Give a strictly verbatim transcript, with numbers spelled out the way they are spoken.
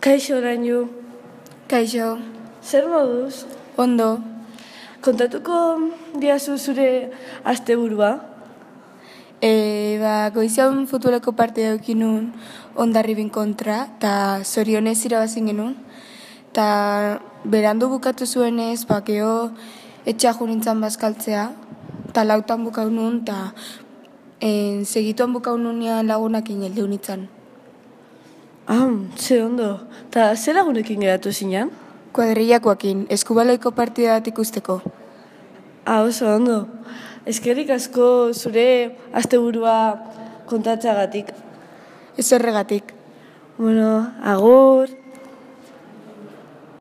Kaixo, Lainu. Kaixo. Zer moduz? Ondo. Kontatuko diazu zure asteburua? E, ba, goizian futboleko partida eukin nun Hondarribin kontra, eta zorionez irabazin genuen. Ta berandu bukatu zuenez, ba, geho etxeaju nintzen bazkaltzea, eta lautan bukau nun, eta en, segituan bukau nunean lagunak ineldu nintzen. Ah, ze ondo. Ta ze lagunekin geratu zinean? Kuadrillakoakin, eskubaloiko partida bat ikusteko. Ah, oso ondo. Eskerrik asko zure asteburua kontatzeagatik. Ez horregatik. Bueno, agur.